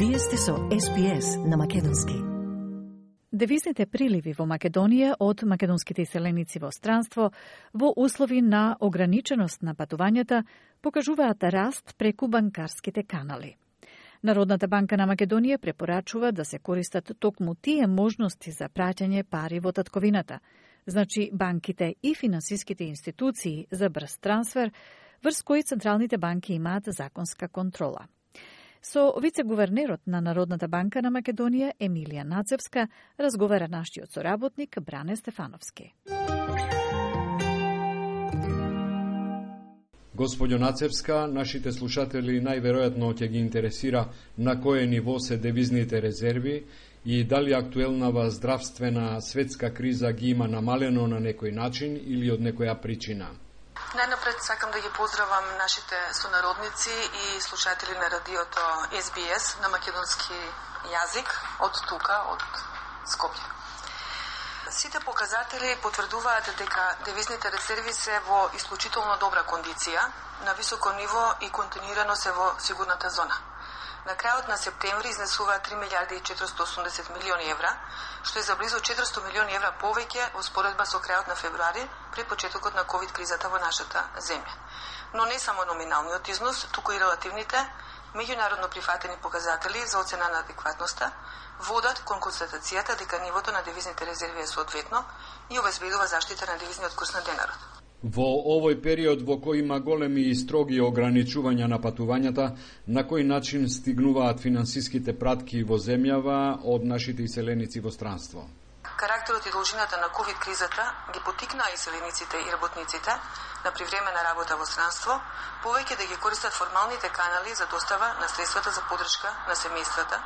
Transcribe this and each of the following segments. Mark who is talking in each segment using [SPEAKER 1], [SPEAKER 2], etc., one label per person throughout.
[SPEAKER 1] Вие сте со SBS на македонски.
[SPEAKER 2] Девизните приливи во Македонија од македонските иселеници во странство во услови на ограниченост на патувањата покажуваат раст преку банкарските канали. Народната банка на Македонија препорачува да се користат токму тие можности за праќање пари во татковината, значи банките и финансиските институции за брз трансфер, врз кои централните банки имаат законска контрола. Со вице-гувернерот на Народната банка на Македонија Емилија Нацевска разговара нашиот соработник Бране Стефановски.
[SPEAKER 3] Господјо Нацевска, нашите слушатели најверојатно ќе ги интересира на кое ниво се девизните резерви и дали актуелнава здравствена светска криза ги има намалено на некој начин или од некоја причина.
[SPEAKER 4] Најнапред сакам да ги поздравам нашите сонародници и слушатели на радиото SBS на македонски јазик од тука, од Скопје. Сите показатели потврдуваат дека девизните резерви се во исклучително добра кондиција, на високо ниво и континуирано се во сигурната зона. На крајот на септември изнесува 3 милиарди и 480 милиони евра, што е за близу 400 милиони евра повеќе во споредба со крајот на февруари пред почетокот на ковид кризата во нашата земја. Но не само номиналниот износ, туку и релативните, меѓународно прифатени показатели за оцена на адекватноста водат кон констатацијата дека нивото на девизните резерви е соодветно и обезбедува заштита на девизниот курс на денарот.
[SPEAKER 3] Во овој период во кој има големи и строги ограничувања на патувањата, на кој начин стигнуваат финансиските пратки во земјава од нашите иселеници во странство?
[SPEAKER 4] Карактерот и должината на ковид кризата ги потикнаа иселениците и работниците на привремена работа во странство повеќе да ги користат формалните канали за достава на средствата за поддршка на семејствата,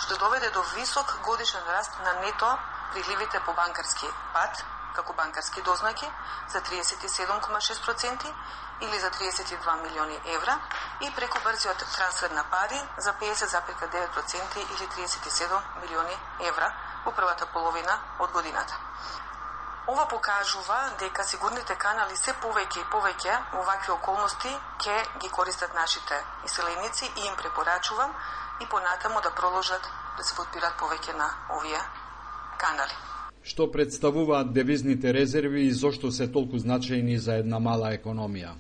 [SPEAKER 4] што доведе до висок годишен раст на нето приливите по банкарски пат, како банкарски дознаки за 37,6% или за 32 милиони евра и преку брзиот трансфер на пари за 50,9% или 37 милиони евра во првата половина од годината. Ова покажува дека сигурните канали се повеќе и повеќе во вакви околности ќе ги користат нашите иселеници и им препорачувам и понатаму да продолжат да се подпират повеќе на овие канали.
[SPEAKER 3] Што представуваат девизните резерви и зошто се толку значајни за една мала економија?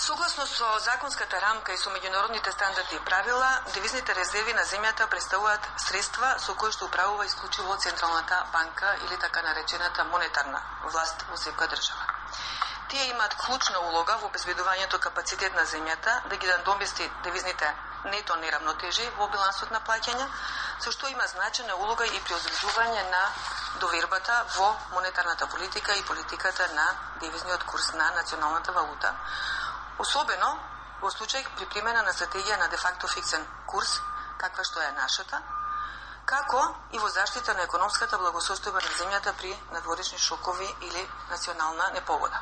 [SPEAKER 4] Согласно со законската рамка и со меѓународните стандарди и правила, девизните резерви на земјата представуваат средства со кои што управува исклучиво Централната банка или така наречената монетарна власт во секоја држава. Тие имаат клучна улога во обезбедувањето капацитет на земјата да ги надомести девизните нето неравнотежи во билансот на плаќања, со што има значајна улога и при одржување на довербата во монетарната политика и политиката на девизниот курс на националната валута, особено во случај при примена на стратегија на де-факто фиксен курс, каква што е нашата, како и во заштита на економската благосостојба на земјата при надворешни шокови или национална непогода.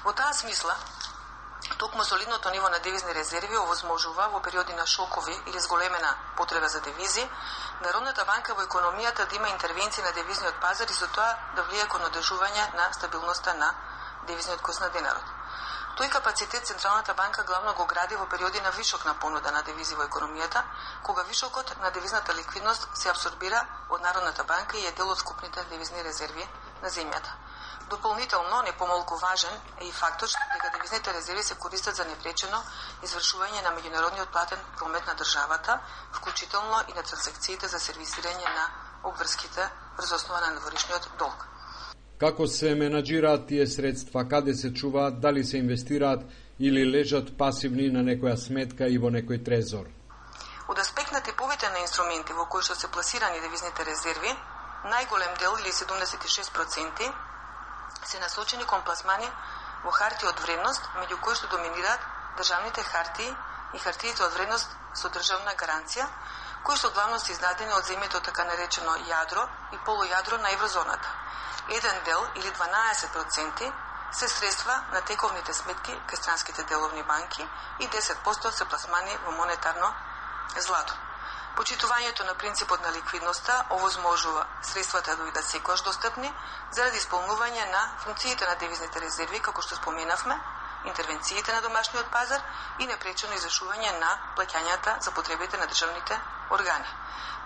[SPEAKER 4] Во таа смисла, токму солидното ниво на девизни резерви овозможува во периоди на шокови или зголемена потреба за девизи, Народната банка во економијата да има интервенции на девизниот пазар и со тоа да влие кон одржување на стабилноста на девизниот курс на денарот. Тој капацитет Централната банка главно го гради во периоди на вишок на понуда на девизи во економијата, кога вишокот на девизната ликвидност се абсорбира од Народната банка и е дел од скупните девизни резерви на земјата. Дополнително, не помалку важен е и фактот дека девизните резерви се користат за непречено извршување на меѓународниот платен промет на државата, вклучително и на транзакциите за сервисирање на обврските врз основа на надворешниот долг.
[SPEAKER 3] Како се менаџираат тие средства, каде се чуваат, дали се инвестираат или лежат пасивни на некоја сметка и во некој трезор?
[SPEAKER 4] Од аспект на типовите на инструменти во кои што се пласирани девизните резерви, најголем дел или 76% се насочени кон пласмани во хартии од вредност, меѓу кои што доминираат државните хартии и хартиите од вредност со државна гаранција, кои што главно се издадени од земјето така наречено јадро и полујадро на еврозоната. Еден дел или 12% се средства на тековните сметки кај странските деловни банки и 10% се пласмани во монетарно злато. Почитувањето на принципот на ликвидноста овозможува средствата да бидат секогаш достапни заради исполнување на функциите на девизните резерви, како што споменавме, интервенциите на домашниот пазар и непречено извршување на плаќањата за потребите на државните органи.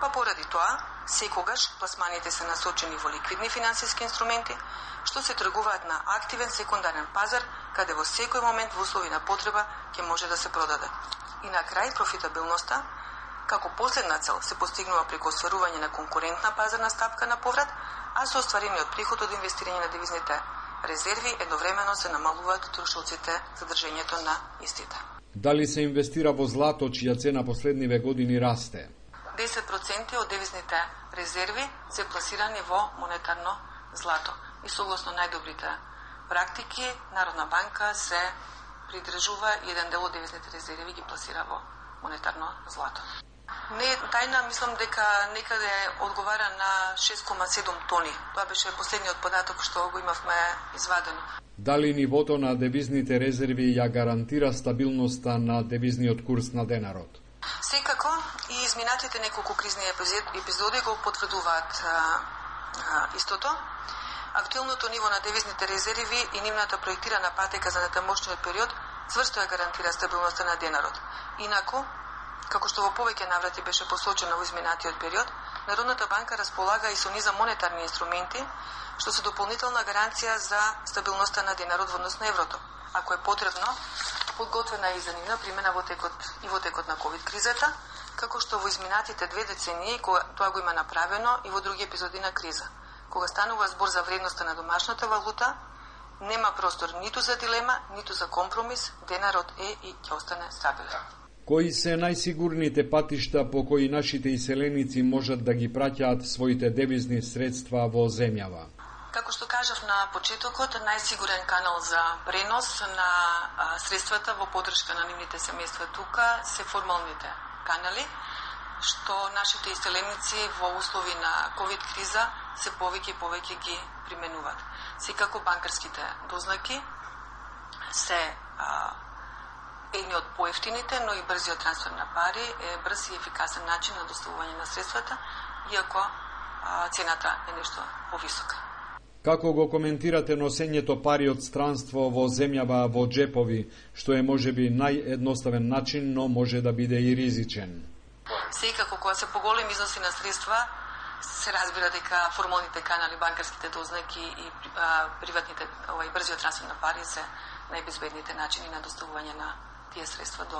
[SPEAKER 4] Па поради тоа, секогаш пласманите се насочени во ликвидни финансиски инструменти, што се тргуваат на активен секундарен пазар, каде во секој момент во услови на потреба ќе може да се продаде. И на крај профитабилноста, како последна цел, се постигнува преку остварување на конкурентна пазарна стапка на поврат, а со остварениот приход од инвестирање на девизните резерви едновремено се намалуваат трошоците за држењето на истите.
[SPEAKER 3] Дали се инвестира во злато, чија цена последниве години расте?
[SPEAKER 4] 10% од девизните резерви се пласирани во монетарно злато. И согласно најдобрите практики, Народна банка се придржува и еден дел од девизните резерви ги пласира во монетарно злато. Не е тајна, мислам дека некаде одговара на 6,7 тони. Тоа беше последниот податок што го имавме извадено.
[SPEAKER 3] Дали нивото на девизните резерви ја гарантира стабилноста на девизниот курс на денарот?
[SPEAKER 4] Секако и изминатите неколку кризни епизоди го потврдуваат истото. Актуелното ниво на девизните резерви и нивната проектирана патека за натамошниот период цврсто ја гарантира стабилноста на денарот. Инаку, како што во повеќе наврати беше посочено во изминатиот период, Народната банка располага и со низа монетарни инструменти, што се дополнителна гаранција за стабилноста на денарот во однос на еврото. Ако е потребно, подготвена и за нивна примена во текот на ковид кризата, како што во изминатите 2 децении тоа го има направено и во други епизоди на криза. Кога станува збор за вредноста на домашната валута, нема простор ниту за дилема, ниту за компромис, денарот е и ќе остане стабилен.
[SPEAKER 3] Кои се најсигурните патишта по кои нашите иселеници можат да ги праќаат своите девизни средства во земјава?
[SPEAKER 4] Како што кажав на почетокот, најсигурен канал за пренос на средствата во поддршка на нивните семејства тука се формалните канали, што нашите иселеници во услови на ковид криза се повеќе и повеќе ги применуваат. Секако банкарските дознаки се едни од поевтините, но и брзиот трансфер на пари е брз и ефикасен начин на доставување на средствата, иако цената е нешто повисока.
[SPEAKER 3] Како го коментирате носењето пари од странство во земјава во джепови, што е можеби наједноставен начин, но може да биде и ризичен?
[SPEAKER 4] Секако, кога се поголеми износи на средства, се разбира дека формалните канали, банкарските дознаки и приватните брзиот трансфер на пари се најбезбедните начини на доставување на тие средства до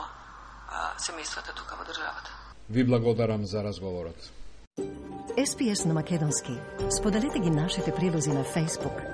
[SPEAKER 4] семејствата тука во државата.
[SPEAKER 3] Ви благодарам за разговорот.
[SPEAKER 1] SPS на македонски. Споделете ги нашите прилози на Facebook,